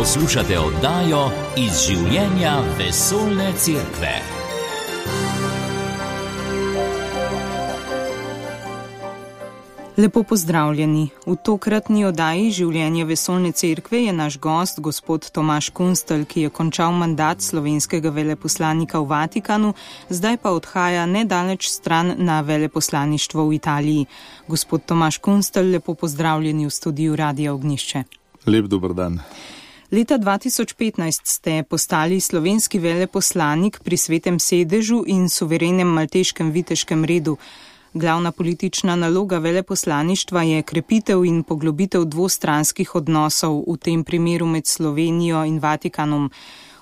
Poslušate oddajo Iz življenja vesoljne cerkve. Lepo pozdravljeni. V tokratni oddaji Življenje vesoljne cerkve je naš gost, gospod Tomaž Kunstelj, ki je končal mandat slovenskega veleposlanika v Vatikanu, zdaj pa odhaja nedaleč stran na veleposlaništvo v Italiji. Gospod Tomaž Kunstelj, lepo pozdravljeni v studiu Radia Ognjišče. Lep dober dan. Leta 2015 ste postali slovenski veleposlanik pri Svetem sedežu in suverenem malteškem viteškem redu. Glavna politična naloga veleposlaništva je krepitev in poglobitev dvostranskih odnosov, v tem primeru med Slovenijo in Vatikanom.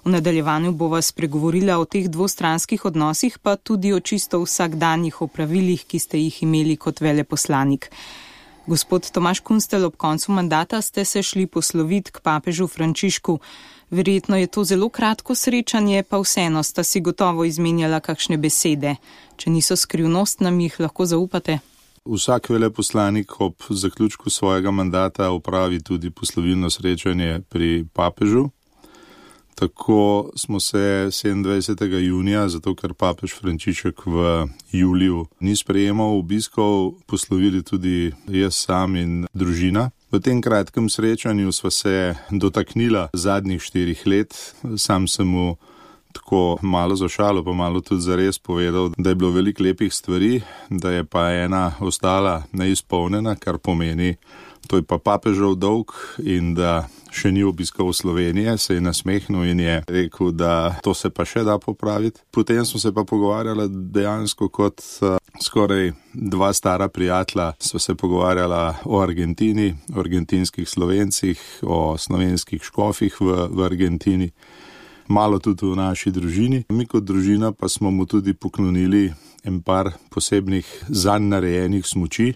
V nadaljevanju bova spregovorila o teh dvostranskih odnosih, pa tudi o čisto vsakdanjih opravilih, ki ste jih imeli kot veleposlanik. Gospod Tomaž Kunstelj, ob koncu mandata ste se šli posloviti k papežu Frančišku. Verjetno je to zelo kratko srečanje, pa vseeno sta si gotovo izmenjala kakšne besede. Če niso skrivnost, nam jih lahko zaupate? Vsak veleposlanik ob zaključku svojega mandata opravi tudi poslovilno srečanje pri papežu. Tako smo se 27. junija, zato ker papež Frančišek v juliju ni sprejemal obiskov, poslovili tudi jaz sam in družina. V tem kratkem srečanju sva se dotaknila zadnjih 4 let. Sam sem mu tako malo za šalo, pa malo tudi zares povedal, da je bilo veliko lepih stvari, da je pa ena ostala neizpolnjena, kar pomeni, to je pa papežev dolg in da še ni obiskal Slovenije, se je nasmehnil in je rekel, da to se pa še da popraviti. Potem smo se pa pogovarjali dejansko kot skoraj 2 stara prijatelja. Sva se pogovarjala o Argentini, o argentinskih Slovencih, o slovenskih škofih v Argentini, malo tudi v naši družini. Mi kot družina pa smo mu tudi poklonili en par posebnih zanj narejenih smuči,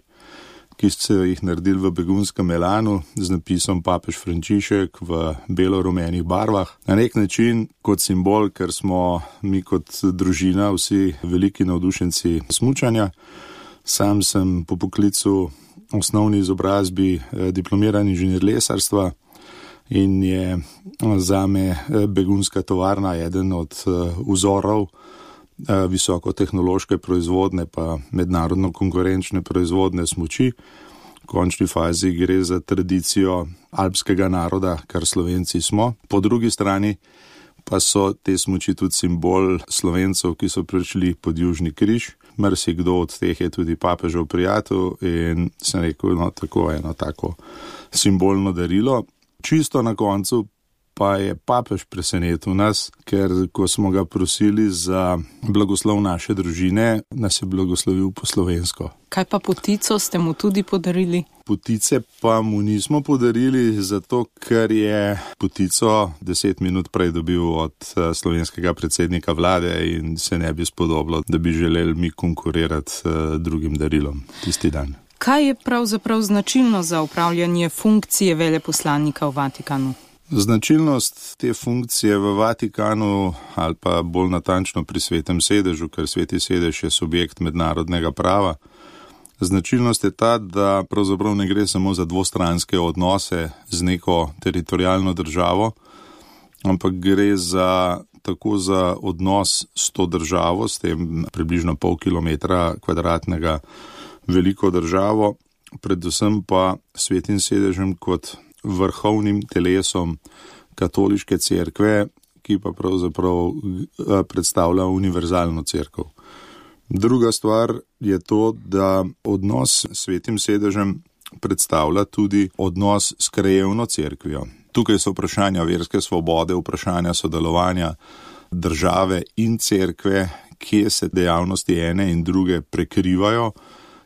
ki so jih naredili v begunskem elanu z napisom Papež Frančišek v belo-rumenih barvah. Na nek način kot simbol, ker smo mi kot družina vsi veliki navdušenci smučanja. Sam sem po poklicu osnovni izobrazbi diplomiran inženir lesarstva in je zame begunska tovarna eden od vzorov visokotehnološke proizvodne pa mednarodno konkurenčne proizvodne smuči. V končni fazi gre za tradicijo alpskega naroda, kar Slovenci smo. Po drugi strani pa so te smuči tudi simbol Slovencev, ki so prišli pod Južni križ. Marsikdo od teh je tudi papežev prijatelj in sem rekel, tako eno tako simbolno darilo. Čisto na koncu pa je papež presenetil nas, ker ko smo ga prosili za blagoslov naše družine, nas je blagoslovil po slovensko. Kaj pa potico ste mu tudi podarili? Potice pa mu nismo podarili, zato ker je potico 10 minut prej dobil od slovenskega predsednika vlade in se ne bi spodobilo, da bi želeli mi konkurirati drugim darilom tisti dan. Kaj je pravzaprav značilno za upravljanje funkcije veleposlanika v Vatikanu? Značilnost te funkcije v Vatikanu, ali pa bolj natančno pri Svetem sedežu, ker Sveti sedež je subjekt mednarodnega prava, značilnost je ta, da pravzaprav ne gre samo za dvostranske odnose z neko teritorijalno državo, ampak gre tako za odnos s to državo, s tem približno pol kilometra kvadratnega veliko državo, predvsem pa Svetim sedežem kot vrhovnim telesom katoliške cerkve, ki pa pravzaprav predstavlja univerzalno cerkev. Druga stvar je to, da odnos s Svetim sedežem predstavlja tudi odnos s krajevno cerkvijo. Tukaj so vprašanja verske svobode, vprašanja sodelovanja države in cerkve, kje se dejavnosti ene in druge prekrivajo,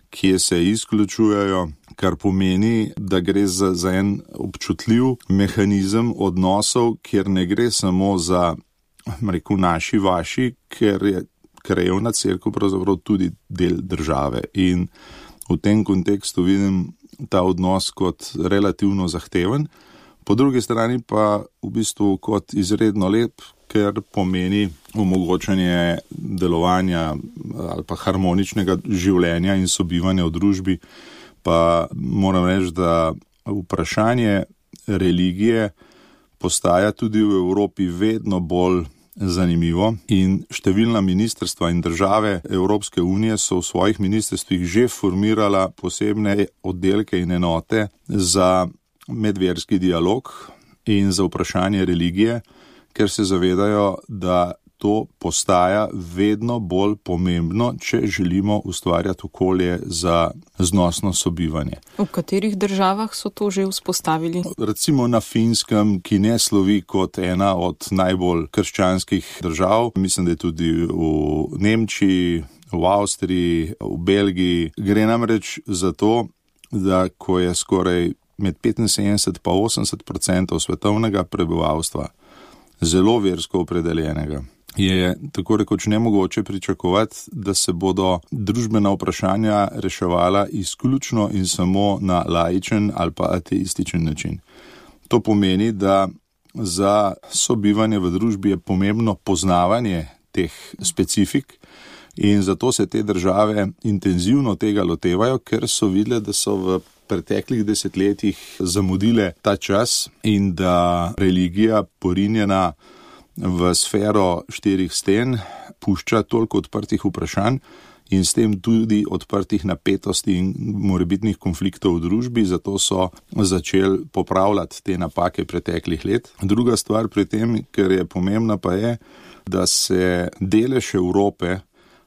kje se izključujejo, kar pomeni, da gre za en občutljiv mehanizem odnosov, kjer ne gre samo za, naši, vaši, ker je krajevna cerkev pravzaprav tudi del države. In v tem kontekstu vidim ta odnos kot relativno zahteven, po drugi strani pa v bistvu kot izredno lep, ker pomeni omogočanje delovanja ali pa harmoničnega življenja in sobivanja v družbi. Pa moram reči, da vprašanje religije postaja tudi v Evropi vedno bolj zanimivo in številna ministrstva in države Evropske unije so v svojih ministrstvih že formirala posebne oddelke in enote za medverski dialog in za vprašanje religije, ker se zavedajo, da to postaja vedno bolj pomembno, če želimo ustvarjati okolje za znosno sobivanje. V katerih državah so to že vzpostavili? Recimo na Finskem, ki ne slovi kot ena od najbolj krščanskih držav. Mislim, da je tudi v Nemčiji, v Avstriji, v Belgiji. Gre namreč za to, da ko je skoraj med 75 pa 80% svetovnega prebivalstva zelo versko opredeljenega, je tako rekoč nemogoče pričakovati, da se bodo družbena vprašanja reševala izključno in samo na laičen ali pa ateističen način. To pomeni, da za sobivanje v družbi je pomembno poznavanje teh specifik in zato se te države intenzivno tega lotevajo, ker so videle, da so v preteklih desetletjih zamudile ta čas in da religija porinjena v sfero 4 sten pušča toliko odprtih vprašanj in s tem tudi odprtih napetosti in morebitnih konfliktov v družbi, zato so začeli popravljati te napake preteklih let. Druga stvar pri tem, ker je pomembna, pa je, da se delež Evrope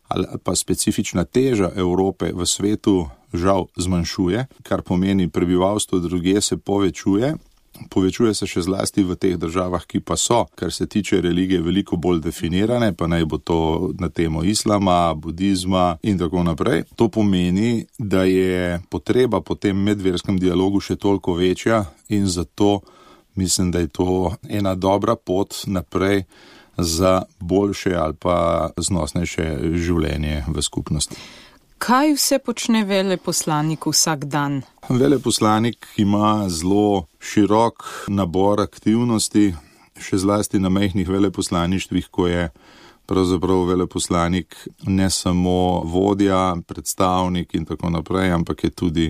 ali pa specifična teža Evrope v svetu žal zmanjšuje, kar pomeni prebivalstvo drugje se povečuje. Povečuje se še zlasti v teh državah, ki pa so, kar se tiče religije, veliko bolj definirane, pa naj bo to na temo islama, budizma in tako naprej. To pomeni, da je potreba po tem medverskem dialogu še toliko večja in zato mislim, da je to ena dobra pot naprej za boljše ali pa znosnejše življenje v skupnosti. Kaj vse počne veleposlanik vsak dan? Veleposlanik ima zelo širok nabor aktivnosti, še zlasti na majhnih veleposlaništvih, ko je pravzaprav veleposlanik ne samo vodja, predstavnik in tako naprej, ampak je tudi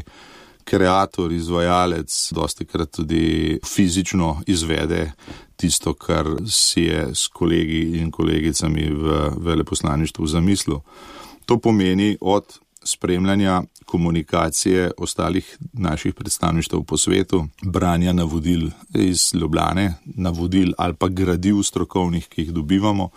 kreator, izvajalec, dostikrat tudi fizično izvede tisto, kar si je s kolegi in kolegicami v veleposlaništvu zamislil. To pomeni od spremljanja komunikacije ostalih naših predstavništev po svetu, branja navodil iz Ljubljane, navodil ali pa gradiv strokovnih, ki jih dobivamo,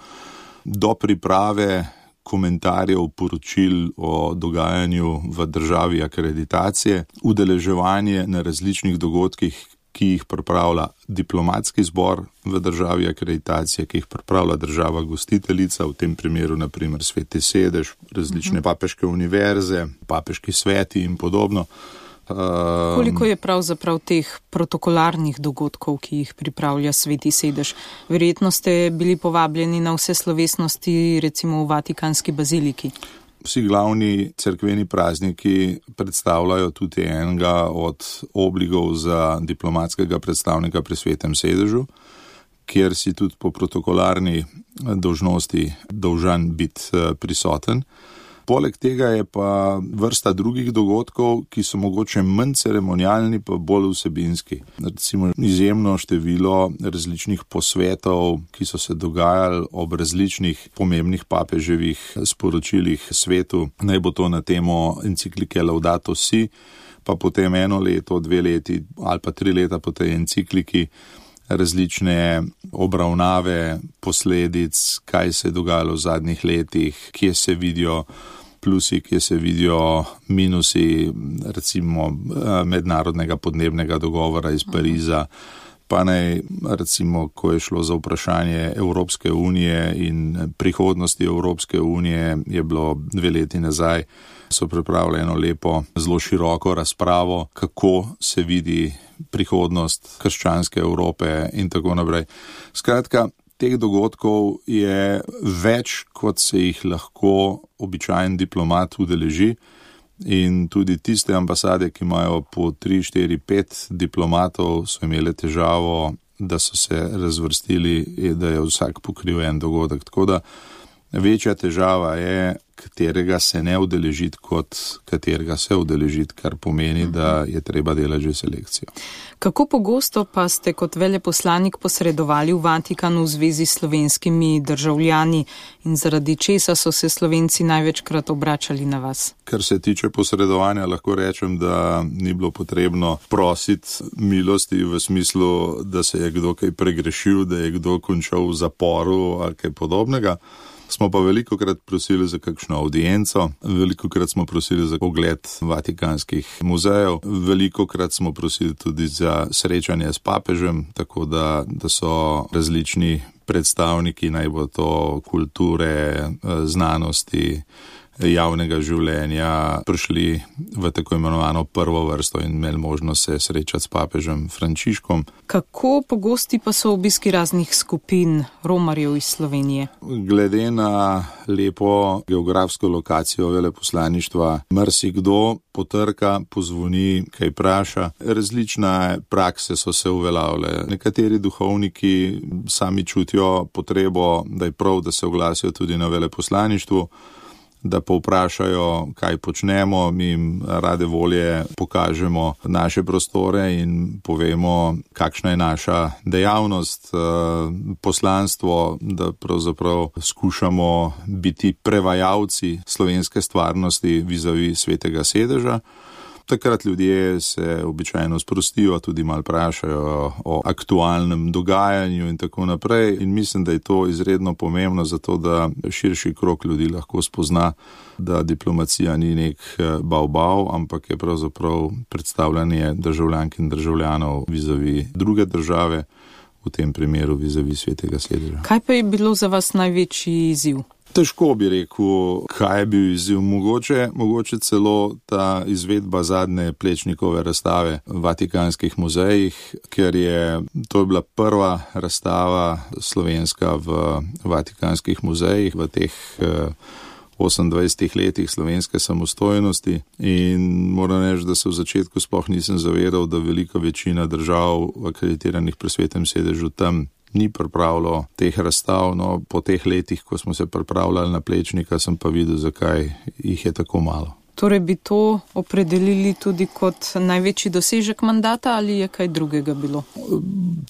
do priprave komentarjev, poročil o dogajanju v državi akreditacije, udeleževanje na različnih dogodkih, ki jih pripravlja diplomatski zbor v državi akreditacije, ki jih pripravlja država gostiteljica, v tem primeru naprimer Sveti sedež, različne papeške univerze, papeški sveti in podobno. Koliko je pravzaprav teh protokolarnih dogodkov, ki jih pripravlja Sveti sedež? Verjetno ste bili povabljeni na vse slovesnosti, recimo v Vatikanski baziliki. Vsi glavni cerkveni prazniki predstavljajo tudi enega od obligov za diplomatskega predstavnika pri Svetem sedežu, kjer si tudi po protokolarni dolžnosti dolžan biti prisoten. Poleg tega je pa vrsta drugih dogodkov, ki so mogoče manj ceremonialni, pa bolj vsebinski. Recimo izjemno število različnih posvetov, ki so se dogajali ob različnih pomembnih papeževih sporočilih svetu. Naj bo to na temo enciklike Laudato Si, pa potem 1 leto, 2 leti ali pa 3 leta po tej encikliki različne obravnave posledic, kaj se je dogajalo v zadnjih letih, kje se vidijo plusi, kje se vidijo minusi, recimo mednarodnega podnebnega dogovora iz Pariza, pa naj recimo, ko je šlo za vprašanje Evropske unije in prihodnosti Evropske unije, je bilo 2 leti nazaj, so pripravili eno lepo, zelo široko razpravo, kako se vidi prihodnost krščanske Evrope in tako naprej. Skratka, teh dogodkov je več, kot se jih lahko običajen diplomat udeleži in tudi tiste ambasade, ki imajo po 3, 4, 5 diplomatov, so imeli težavo, da so se razvrstili, da je vsak pokril en dogodek. Tako da Večja težava je, katerega se ne udeležiti, kot katerega se udeležiti, kar pomeni, da je treba delati že selekcijo. Kako pogosto pa ste kot veleposlanik posredovali v Vatikanu v zvezi s slovenskimi državljani in zaradi česa so se Slovenci največkrat obračali na vas? Kar se tiče posredovanja, lahko rečem, da ni bilo potrebno prositi milosti v smislu, da se je kdo kaj pregrešil, da je kdo končal v zaporu ali kaj podobnega. Smo pa velikokrat prosili za kakšno audienco, velikokrat smo prosili za ogled vatikanskih muzejev, velikokrat smo prosili tudi za srečanje s papežem, tako da so različni predstavniki, naj bo to kulture, znanosti, javnega življenja, prišli v tako imenovano prvo vrsto in imeli možnost se srečati s papežem Frančiškom. Kako pogosti pa so obiski raznih skupin romarjev iz Slovenije? Glede na lepo geografsko lokacijo veleposlaništva, marsikdo potrka, pozvoni, kaj vpraša. Različne prakse so se uveljavile. Nekateri duhovniki sami čutijo potrebo, da je prav, da se oglasijo tudi na veleposlaništvu, da povprašajo, kaj počnemo, mi jim rade volje pokažemo naše prostore in povemo, kakšna je naša dejavnost, poslanstvo, da pravzaprav skušamo biti prevajalci slovenske stvarnosti vizavi Svetega sedeža. Takrat ljudje se običajno sprostijo, tudi malo vprašajo o aktualnem dogajanju in tako naprej. In mislim, da je to izredno pomembno zato, da širši krog ljudi lahko spozna, da diplomacija ni nek bav, ampak je pravzaprav predstavljanje državljank in državljanov vizavi druge države, v tem primeru vizavi Svetega sedeža. Kaj pa je bilo za vas največji izziv? Težko bi rekel, kaj je bil izziv. Mogoče celo ta izvedba zadnje Plečnikove razstave v Vatikanskih muzejih, ker to je bila prva razstava slovenska v Vatikanskih muzejih v teh 28 letih slovenske samostojnosti in moram reči, da se v začetku sploh nisem zavedal, da velika večina držav akreditiranih pri Svetem sedežu tam ni pripravilo teh razstav. No, po teh letih, ko smo se pripravljali na Plečnika, sem pa videl, zakaj jih je tako malo. Torej bi to opredelili tudi kot največji dosežek mandata ali je kaj drugega bilo?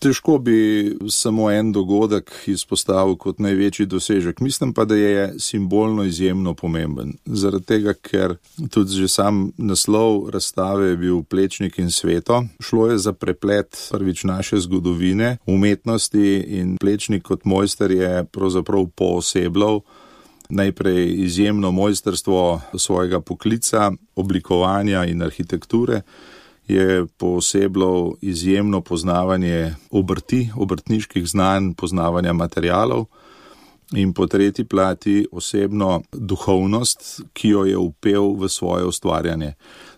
Težko bi samo en dogodek izpostavil kot največji dosežek. Mislim pa, da je simbolno izjemno pomemben. Zaradi tega, ker tudi že sam naslov razstave je bil Plečnik in sveto. Šlo je za preplet prvič naše zgodovine, umetnosti in Plečnik kot mojster je pravzaprav poosebljal najprej izjemno mojstrstvo svojega poklica, oblikovanja in arhitekture, je poosebljal izjemno poznavanje obrti, obrtniških znanj, poznavanja materialov in po tretji plati osebno duhovnost, ki jo je vpel v svoje ustvarjanje.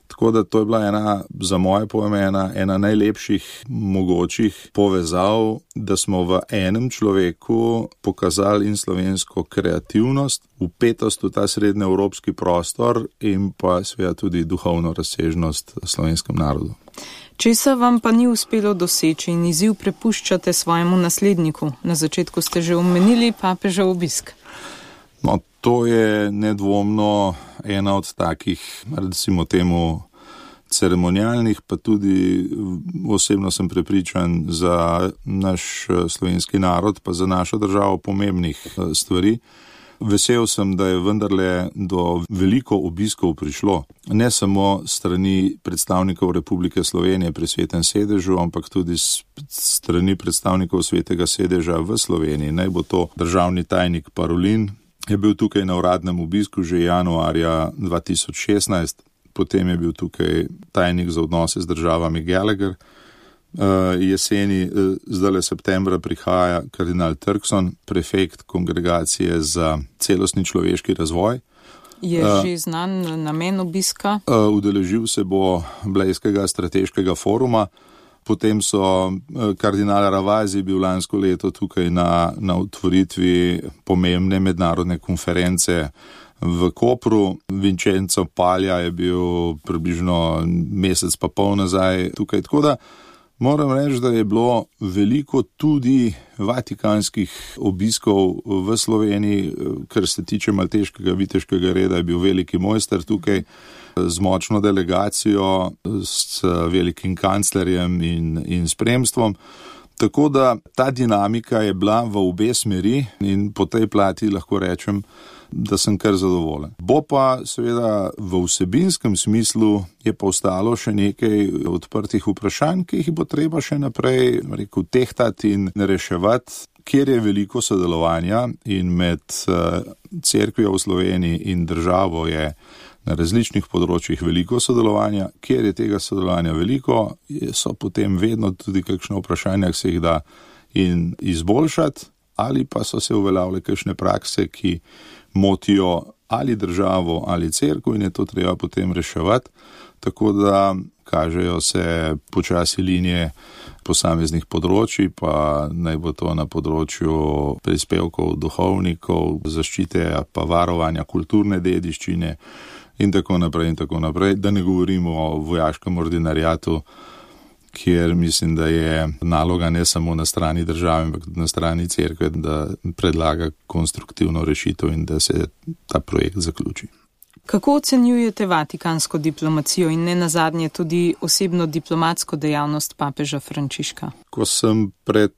Tako da to je bila za moje pojme ena najlepših mogočih povezav, da smo v enem človeku pokazali in slovensko kreativnost, vpetost v ta srednjeevropski prostor in pa seveda tudi duhovno razsežnost slovenskem narodu. Česa vam pa ni uspelo doseči in izziv prepuščate svojemu nasledniku? Na začetku ste že omenili papežev obisk. No, to je nedvomno ena od takih, recimo temu, ceremonialnih, pa tudi osebno sem prepričan za naš slovenski narod, pa za našo državo pomembnih stvari. Vesel sem, da je vendarle do veliko obiskov prišlo, ne samo strani predstavnikov Republike Slovenije pri Svetem sedežu, ampak tudi strani predstavnikov Svetega sedeža v Sloveniji. Naj bo to državni tajnik Parolin, je bil tukaj na uradnem obisku že januarja 2016, potem je bil tukaj tajnik za odnose z državami Gallagher, jeseni, zdajle septembra prihaja kardinal Turkson, prefekt kongregacije za celostni človeški razvoj. Je že znan namen obiska? Udeležil se bo Blejskega strateškega foruma, potem so kardinal Ravasi bil lansko leto tukaj na otvoritvi pomembne mednarodne konference v Kopru. Vincenzo Palja je bil približno mesec pa pol nazaj tukaj, tako da Moram reči, da je bilo veliko tudi vatikanskih obiskov v Sloveniji, kar se tiče malteškega viteškega reda, je bil veliki mojster tukaj z močno delegacijo, s velikim kanclerjem in spremstvom. Tako da ta dinamika je bila v obe smeri in po tej plati lahko rečem, da sem kar zadovoljen. Bo pa seveda v vsebinskem smislu je pa ostalo še nekaj odprtih vprašanj, ki jih bo treba še naprej tehtati in reševati, kjer je veliko sodelovanja in med cerkvijo v Sloveniji in državo je na različnih področjih veliko sodelovanja, kjer je tega sodelovanja veliko, so potem vedno tudi kakšne vprašanja, ki se jih da in izboljšati, ali pa so se uveljavile kakšne prakse, ki motijo ali državo ali cerkev in je to treba potem reševati, tako da kažejo se počasi linije posameznih področji, pa naj bo to na področju prispevkov duhovnikov, zaščite pa varovanja kulturne dediščine in tako naprej, da ne govorimo o vojaškem ordinariatu, kjer mislim, da je naloga ne samo na strani države, ampak tudi na strani cerkve, da predlaga konstruktivno rešitev in da se ta projekt zaključi. Kako ocenjujete vatikansko diplomacijo in ne nazadnje tudi osebno diplomatsko dejavnost papeža Frančiška? Ko sem pred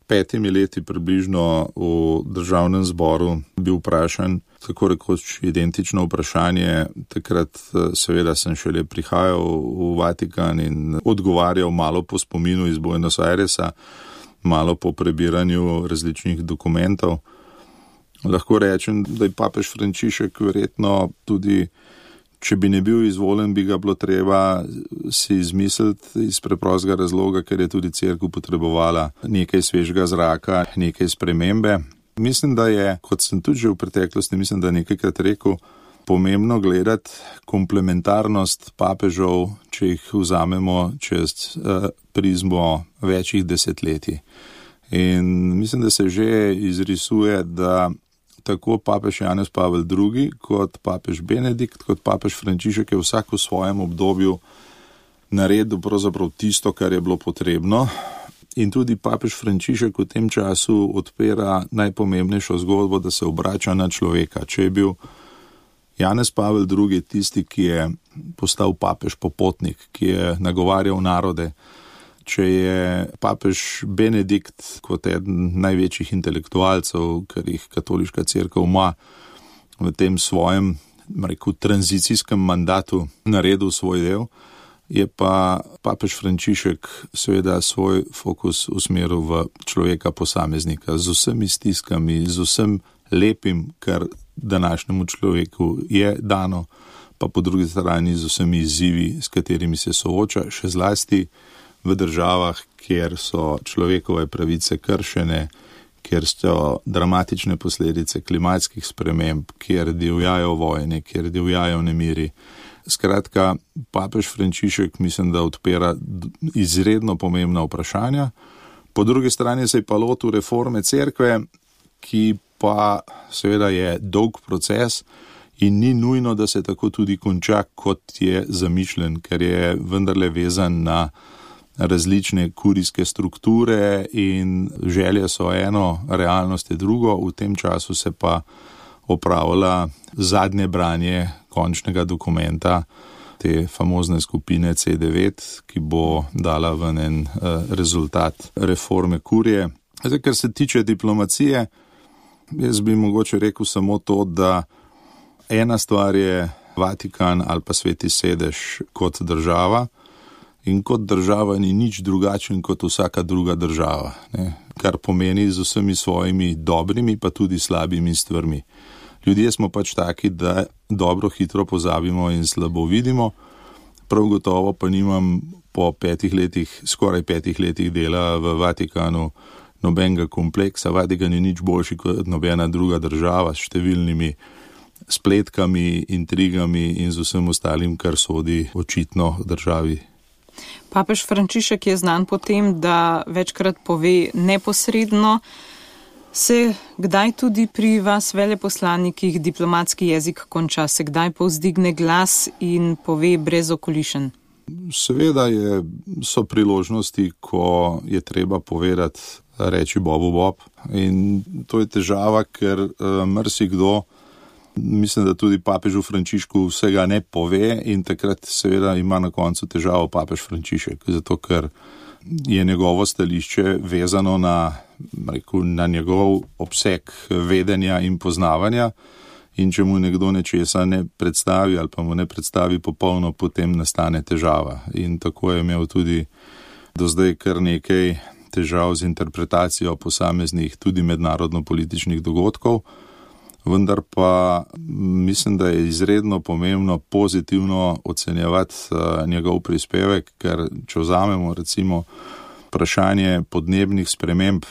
5 leti približno v državnem zboru bil vprašan, tako rekoč identično vprašanje, takrat seveda sem šele prihajal v Vatikan in odgovarjal malo po spominu iz Buenos Airesa, malo po prebiranju različnih dokumentov. Lahko rečem, da je papež Frančišek verjetno tudi, če bi ne bil izvoljen, bi ga bilo treba si izmisliti iz preprostega razloga, ker je tudi cerkev potrebovala nekaj svežega zraka, nekaj spremembe. Mislim, da je, kot sem tudi že v preteklosti, nekajkrat rekel, pomembno gledati komplementarnost papežev, če jih vzamemo čez prizmo večjih desetletij. In mislim, da se že izrisuje, da tako papež Janez Pavel II, kot papež Benedikt, kot papež Frančišek je vsak v svojem obdobju naredil pravzaprav tisto, kar je bilo potrebno. In tudi papež Frančišek v tem času odpira najpomembnejšo zgodbo, da se obrača na človeka. Če je bil Janez Pavel II tisti, ki je postal papež popotnik, ki je nagovarjal narode, če je papež Benedikt kot eden največjih intelektualcev, kar jih katoliška cerkev ima v tem svojem, tranzicijskem mandatu naredil svoj del, je pa papež Frančišek seveda svoj fokus usmeril v človeka posameznika z vsemi stiskami, z vsem lepim, kar današnjemu človeku je dano, pa po drugi strani z vsemi izzivi, s katerimi se sooča, še zlasti v državah, kjer so človekove pravice kršene, kjer so dramatične posledice klimatskih sprememb, kjer divjajo vojne, kjer divjajo nemiri. Skratka, papež Frančišek mislim, da odpira izredno pomembna vprašanja. Po drugi strani se je pa lotil reforme cerkve, ki pa seveda je dolg proces in ni nujno, da se tako tudi konča, kot je zamišljen, ker je vendarle vezan na različne kurijske strukture in želje so eno, realnost je drugo. V tem času se pa opravlja zadnje branje končnega dokumenta te famozne skupine C9, ki bo dala ven en rezultat reforme kurije. Zdaj, kar se tiče diplomacije, jaz bi mogoče rekel samo to, da ena stvar je Vatikan ali pa Sveti sedež kot država, in kot država ni nič drugačen kot vsaka druga država, ne? Kar pomeni z vsemi svojimi dobrimi pa tudi slabimi stvarmi. Ljudje smo pač taki, da dobro hitro pozabimo in slabo vidimo, prav gotovo pa nimam po 5 letih, skoraj 5 letih dela v Vatikanu nobenega kompleksa. Vatikan je nič boljši kot nobena druga država s številnimi spletkami, intrigami in z vsem ostalim, kar sodi očitno državi. Papež Frančišek je znan po tem, da večkrat pove neposredno. Se kdaj tudi pri vas veleposlanikih diplomatski jezik konča? Se kdaj povzdigne glas in pove brez okolišenj? Seveda so priložnosti, ko je treba povedati, reči Bobu Bob. In to je težava, ker marsikdo, mislim, da tudi papežu Frančišku vsega ne pove in takrat seveda ima na koncu težavo papež Frančišek, zato ker je njegovo stališče vezano na njegov obseg vedenja in poznavanja. In če mu nekdo nečesa ne predstavi ali pa mu ne predstavi popolno, potem nastane težava. In tako je imel tudi do zdaj kar nekaj težav z interpretacijo posameznih tudi mednarodno-političnih dogodkov, vendar pa mislim, da je izredno pomembno pozitivno ocenjevati njegov prispevek, ker če vzamemo recimo vprašanje podnebnih sprememb,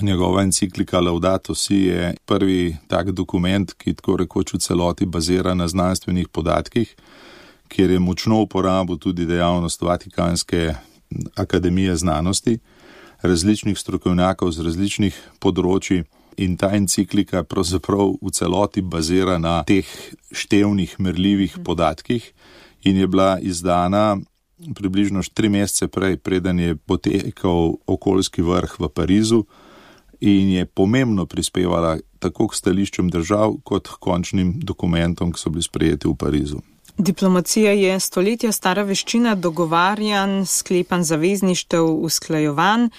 njegova enciklika Laudato Si je prvi tak dokument, ki tako rekoč v celoti bazira na znanstvenih podatkih, kjer je močno uporabil tudi dejavnost Vatikanske akademije znanosti, različnih strokovnjakov z različnih področji, in ta enciklika pravzaprav v celoti bazira na teh števnih, merljivih podatkih in je bila izdana približno 3 mesece prej, preden je potekal okoljski vrh v Parizu, in je pomembno prispevala tako k stališčem držav kot k končnim dokumentom, ki so bili sprejeti v Parizu. Diplomacija je stoletja stara veščina dogovarjanj, sklepanj zavezništev, usklajevanj.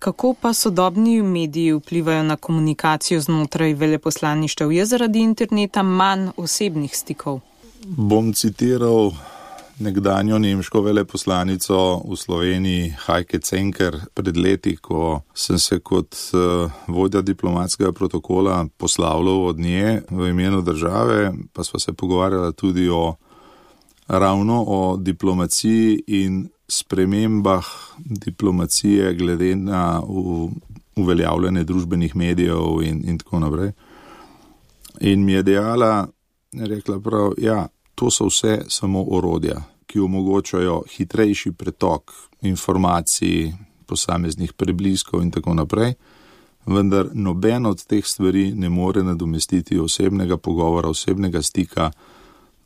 Kako pa sodobni mediji vplivajo na komunikacijo znotraj veleposlaništev? Je zaradi interneta manj osebnih stikov? Bom citiral nekdanjo nemško veleposlanico v Sloveniji Heike Zenker pred leti, ko sem se kot vodja diplomatskega protokola poslavljal od nje v imenu države, pa sva se pogovarjala tudi ravno o diplomaciji in spremembah diplomacije glede na uveljavljanje družbenih medijev in tako naprej. In mi je rekla prav, to so vse samo orodja, ki omogočajo hitrejši pretok informacij, posameznih prebliskov in tako naprej, vendar noben od teh stvari ne more nadomestiti osebnega pogovora, osebnega stika,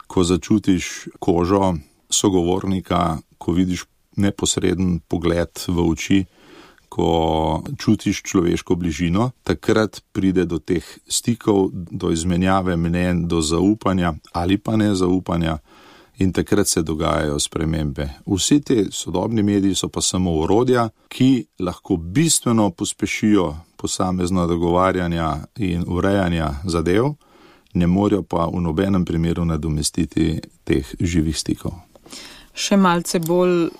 ko začutiš kožo sogovornika, ko vidiš neposreden pogled v oči, ko čutiš človeško bližino, takrat pride do teh stikov, do izmenjave mnenj, do zaupanja ali pa nezaupanja in takrat se dogajajo spremembe. Vsi te sodobni mediji so pa samo orodja, ki lahko bistveno pospešijo posamezno dogovarjanja in urejanja zadev, ne morejo pa v nobenem primeru nadomestiti teh živih stikov. Še malce bolj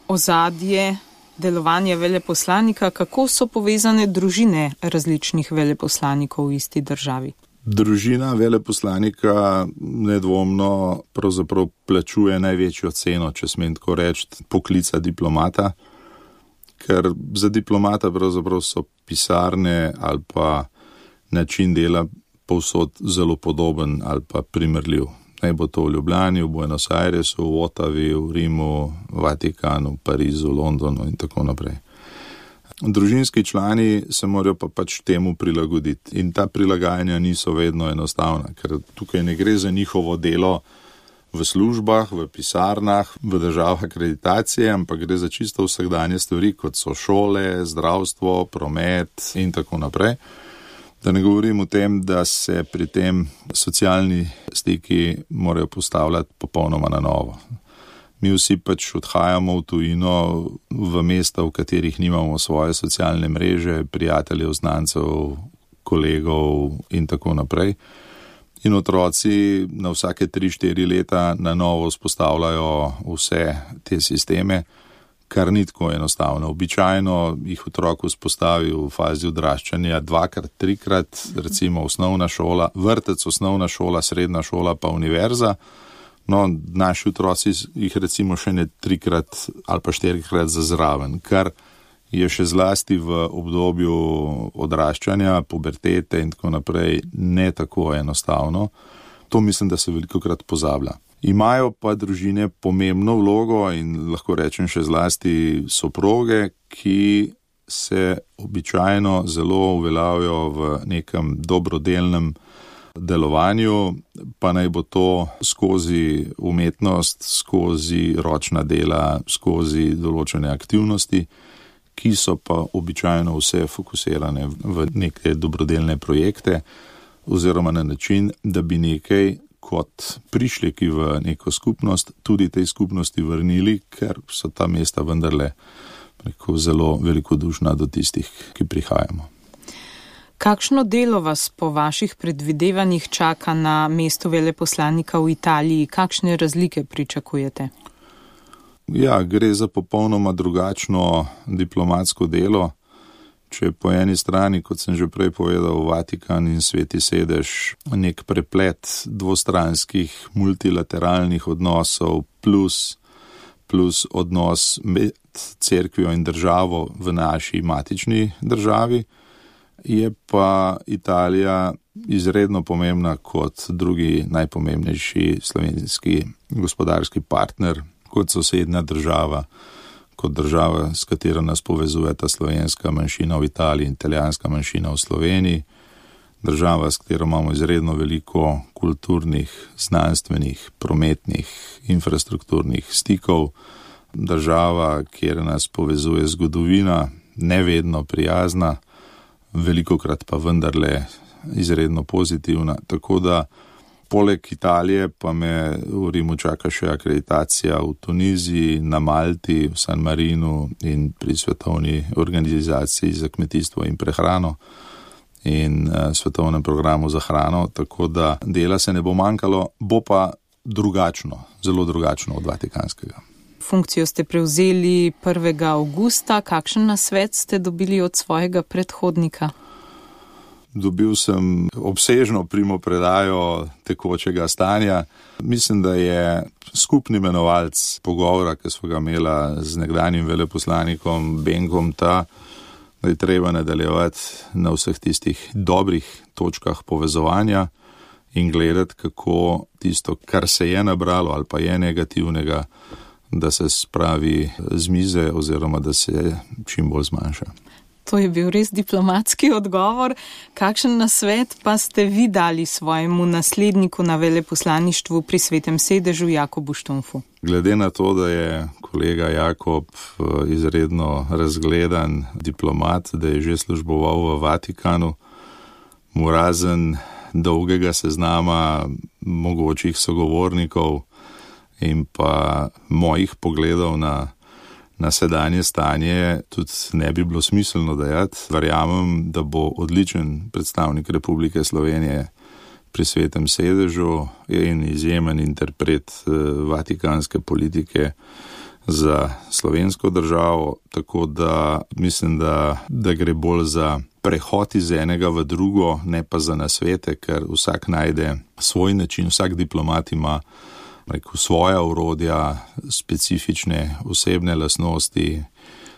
ozadje delovanja veleposlanika, kako so povezane družine različnih veleposlanikov v isti državi? Družina veleposlanika nedvomno pravzaprav plačuje največjo ceno, če smem tako reči, poklica diplomata, ker za diplomata pravzaprav so pisarne ali pa način dela povsod zelo podoben ali pa primerljiv. Naj bo to v Ljubljani, v Buenos Airesu, v Ottavi, v Rimu, v Vatikanu, v Parizu, Londonu in tako naprej. Družinski člani se morajo pa pač temu prilagoditi in ta prilagajanja niso vedno enostavna, ker tukaj ne gre za njihovo delo v službah, v pisarnah, v državah akreditacije, ampak gre za čisto vsakdanje stvari, kot so šole, zdravstvo, promet in tako naprej. Da ne govorim o tem, da se pri tem socialni stiki morajo postavljati popolnoma na novo. Mi vsi pač odhajamo v tujino, v mesta, v katerih nimamo svoje socialne mreže, prijateljev, znancev, kolegov in tako naprej. In otroci na vsake 3-4 leta na novo vzpostavljajo vse te sisteme, kar ni tako enostavno. Običajno jih otrok vzpostavi v fazi odraščanja 2-krat, 3-krat, recimo osnovna šola, vrtec, osnovna šola, srednja šola pa univerza. No, naši otroci jih recimo še ne 3-krat ali pa 4-krat za zraven, kar je še zlasti v obdobju odraščanja, pubertete in tako naprej ne tako enostavno. To mislim, da se velikokrat pozablja. Imajo pa družine pomembno vlogo in lahko rečem še zlasti soproge, ki se običajno zelo uveljavijo v nekem dobrodelnem delovanju, pa naj bo to skozi umetnost, skozi ročna dela, skozi določene aktivnosti, ki so pa običajno vse fokusirane v neke dobrodelne projekte oziroma na način, da bi nekaj kot prišleki v neko skupnost tudi tej skupnosti vrnili, ker so ta mesta vendarle zelo velikodušna do tistih, ki prihajamo. Kakšno delo vas po vaših predvidevanjih čaka na mestu veleposlanika v Italiji? Kakšne razlike pričakujete? Ja, gre za popolnoma drugačno diplomatsko delo. Če po eni strani, kot sem že prej povedal, Vatikan in Sveti sedež nek preplet dvostranskih multilateralnih odnosov plus odnos med cerkvijo in državo v naši matični državi, je pa Italija izredno pomembna kot drugi najpomembnejši slovenski gospodarski partner, kot sosednja država, kot država, s katero nas povezuje ta slovenska manjšina v Italiji in italijanska manjšina v Sloveniji, država, s katero imamo izredno veliko kulturnih, znanstvenih, prometnih, infrastrukturnih stikov, država, kjer nas povezuje zgodovina, nevedno prijazna, velikokrat pa vendarle izredno pozitivna, tako da poleg Italije pa me v Rimu čaka še akreditacija v Tuniziji, na Malti, v San Marinu in pri Svetovni organizaciji za kmetijstvo in prehrano in svetovnem programu za hrano, tako da dela se ne bo manjkalo, bo pa drugačno, zelo drugačno od vatikanskega. Funkcijo ste prevzeli 1. avgusta. Kakšen nasvet ste dobili od svojega predhodnika? Dobil sem obsežno primopredajo tekočega stanja. Mislim, da je skupni imenovalec pogovora, ki smo ga imela z nekdanjim veleposlanikom Benkom, ta, da je treba nadaljevati na vseh tistih dobrih točkah povezovanja in gledati, kako tisto, kar se je nabralo ali pa je negativnega, da se spravi z mize oziroma da se čim bolj zmanjša. To je bil res diplomatski odgovor. Kakšen nasvet pa ste vi dali svojemu nasledniku na veleposlaništvu pri Svetem sedežu Jakobu Štumfu? Glede na to, da je kolega Jakob izredno razgledan diplomat, da je že služboval v Vatikanu, mu razen dolgega seznama mogočih sogovornikov in pa mojih pogledov na sedanje stanje tudi ne bi bilo smiselno dajati. Verjamem, da bo odličen predstavnik Republike Slovenije pri Svetem sedežu in izjemen interpret vatikanske politike za slovensko državo, tako da mislim, da gre bolj za prehod iz enega v drugo, ne pa za nasvete, ker vsak najde svoj način, vsak diplomat ima svoja orodja, specifične osebne lastnosti,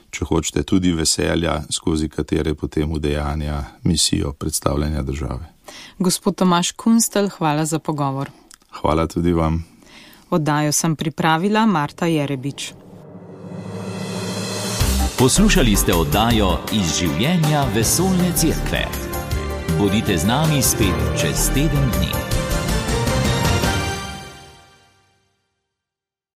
če hočete tudi veselja, skozi katere potem udejanja misijo predstavljanja države. Gospod Tomaž Kunstelj, hvala za pogovor. Hvala tudi vam. Oddajo sem pripravila Marta Jerebič. Poslušali ste oddajo Iz življenja vesoljne cerkve. Bodite z nami spet čez teden dni.